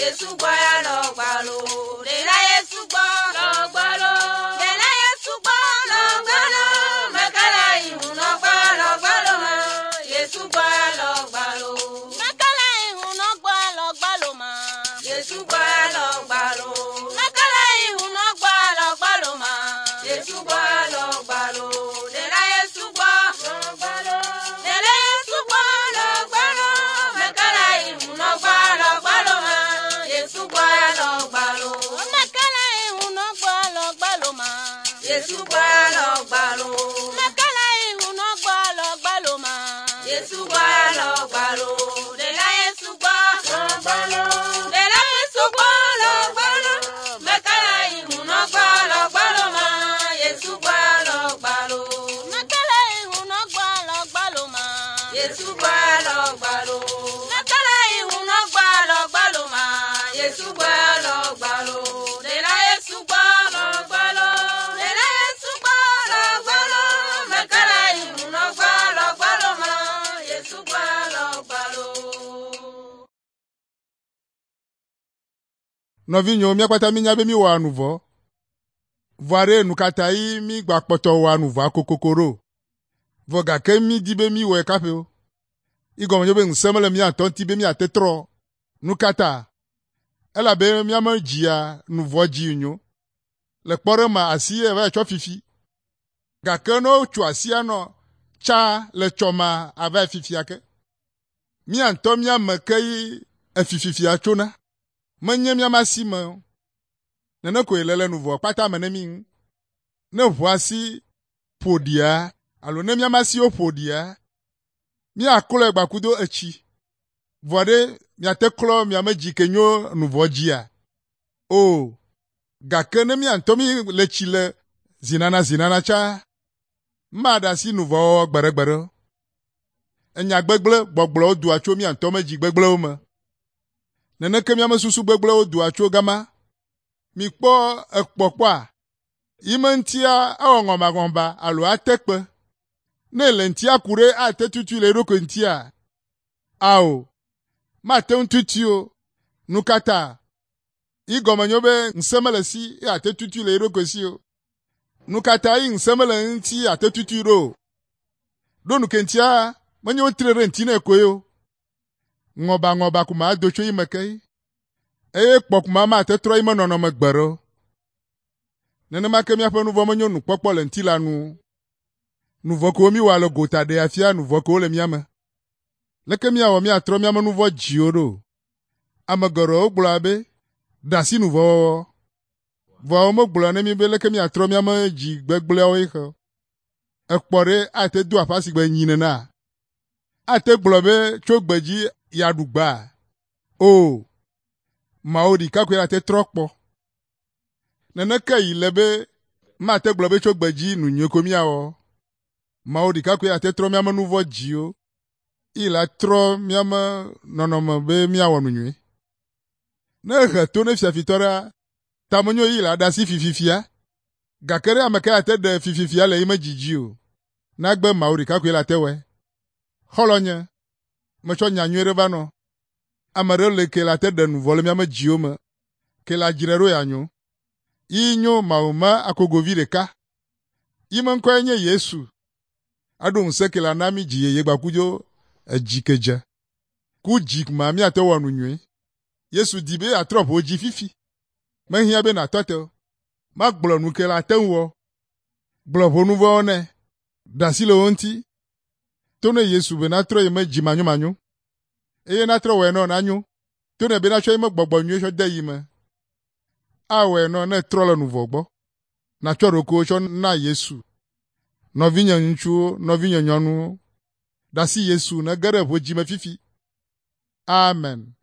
Yesu gbɔ ya lɔ gbalo. Ɖela Yesu gbɔ lɔ gbalo. Ɖela Yesu gbɔ lɔ gbalo. Mekala ihu nɔ gbɔ lɔ gbalo ma. Yesu gbɔ ya lɔ gbalo. Mekala ihu nɔ gbɔ lɔ gbalo ma. Yesu gbɔ ya lɔ gbalo. Mekala ihu nɔ gbɔ lɔ gbalo ma. Yesu gbɔ ya lɔ gbalo. Ɖela Yesu gbɔ lɔ gbalo. Ɖela Yesu gbɔ lɔ gbalo. Mekala ihu nɔ gbɔ lɔ gbalo ma. Yesu gbɔ ya lɔ gbalo. Mekala ihu nɔ gbɔ lɔ gbalo ma. Yesu gbɔ ya lɔ gbalo. Mekala ihu nɔ gbɔ lɔ gbalo ma. Yesu gbɔ ya lɔ gbalo. Ɖela Yesu gbɔ lɔ gbalo. Ɖela Yesu gbɔ lɔ gbalo. Mekala ihu nɔ gbɔ lɔ gbalo ma. Yesu gbɔ ya lɔ gbalo. Mekala ihu nɔ gbɔ lɔ gbalo ma. Yesu gbɔ ya lɔ gbalo. Mekala ihu nɔ gbɔ lɔ gbalo ma. Yesu gbɔ ya lɔ gbalo. Ɖela Yesu gbɔ lɔ gbalo. Ɖela Yesu gbɔ lɔ gbalo. Mekala ihu nɔ gbɔ lɔ gbalo ma. Yesu gbɔ ya lɔ gbalo. Nɔvinyewo, mía kpata mínya be míwɔa nu vɔ. Vɔa ɖe nu ka ta yi mígbakpɔtɔ wɔa nu vɔa kokoko ɖo? Vɔ gake mídi be míwɔe kaƒe o. Igɔme nye be ŋusẽ mele mía ŋutɔ ŋuti be míate trɔ. Nu ka ta? Elabe míame dzia nu vɔ dzi nyo. Le kpɔɖeŋu me asi ye va yi tsɔ fifi. Gake ne wotso asia nɔ tsa le tsɔma ava yi fifia ke. Mía ŋutɔ míame ke yi efififia tsona. Menye míame asi me o. Nene koe le le nu vɔ kpata me ne mí ŋu. Ne ʋu asi ƒo ɖia alo ne míame asiwo ƒo ɖia, míaklɔe gbakudo etsi. Vɔ ɖe miate klɔ miame dzi ke nyo nu vɔ dzia? O, gake ne mía ŋutɔ mí le tsi le zinana zinana tsa, maɖe asi nu vɔ wɔwɔ gbeɖegbeɖe o. Enya gbegblẽ gbɔgblɔwo doa tso mía ŋutɔ me dzi gbegblẽwo me. Neneke míame susu gbegblẽwo doa tso gama. Mikpɔ ekpɔkpɔa, yi me ŋutia ewɔ ŋɔmaŋɔba alo ate kpe. Ne le ŋutia ku ɖe ate tutui le eɖokui ŋutia? Ao, mate ŋu tutui o. Nu ka ta? Yi gɔme nyo be ŋusẽ mele si ye ate tutui le eɖokui si o. Nu ka ta yi ŋusẽ mele eŋuti ate tutui ɖo o? Ɖo nu ke ŋutia menye wotre ɖe ŋuti nɛ koe o. Ŋɔbaŋɔba ko ma do tso yi me ke yi. Eye kpɔ ko ma mate trɔ yi me nɔnɔme gbe ɖe o. Nenema ke míaƒe nu vɔ̃ menyo nukpɔkpɔ le ŋutilã nu o. Nu vɔ̃ kewo míwɔa le gota ɖea fia nu vɔ̃ kewo le mía me. Leke míawɔ míatrɔ míame nu vɔ̃ dziwo ɖo? Ame geɖewo gblɔa be, ɖe asi nu vɔ̃ wɔwɔ. Vɔa womegblɔa ne mí be leke míatrɔ míame dzi gbegblẽawo xe o. Ekpɔ ɖe ate do aƒe si gbe nyi nena? Ate gblɔ be tso gbe dzi yeaɖu gbea? O, Mawu ɖeka koe ate trɔ kpɔ. Neneke yi le be mate gblɔ be tso gbe dzi nu nyui ko míawɔ. Mawu ɖeka koe ate trɔ míame nu vɔ̃ dziwo. Yi la trɔ míame nɔnɔme be míawɔ nu nyui. Ne ehe to ne fiafitɔ ɖea, tamenyo yi la ɖe asi fififia. Gake ɖe ame ka ate ɖe fififia le yi me dzidzi o. Nagbe Mawu ɖeka koe la te wɔe. Xɔlɔ̃nye, metsɔ nya nyui ɖe va nɔ. Ame ɖe le ke la te ɖe nu vɔ le míame dziwo me. Ke la dzrae ɖo yeanyo. Yi nyo Mawu me akogovi ɖeka. Yi me ŋkɔe nye Yesu. Aɖo ŋusẽ ke la na mí dzi yeye gbakudzo edzi ke dze. Ku dzi ma míate wɔ nu nyui. Yesu di be yeatrɔ ʋo dzi fifi. Mehiã be nàtɔ te o. Magblɔ nu ke la te ŋu wɔ. Gblɔ ʋo nu vɔ̃wo nɛ. Ɖe asi le wo ŋuti. To ne Yesu be natrɔ yi me dzi manyomanyo. Eye natrɔ wɔe nɔ nanyo. To ne be natsɔ yi me gbɔgbɔ nyui tsɔ de yi me. Awɔe nɔ ne trɔ le nu vɔ gbɔ. Natsɔ ɖokuiwo tsɔ na Yesu. Nɔvinye ŋutsuwo, nɔvinye nyɔnuwo, ɖe asi Yesu nege ɖe ʋo dzi me fifi. Amen.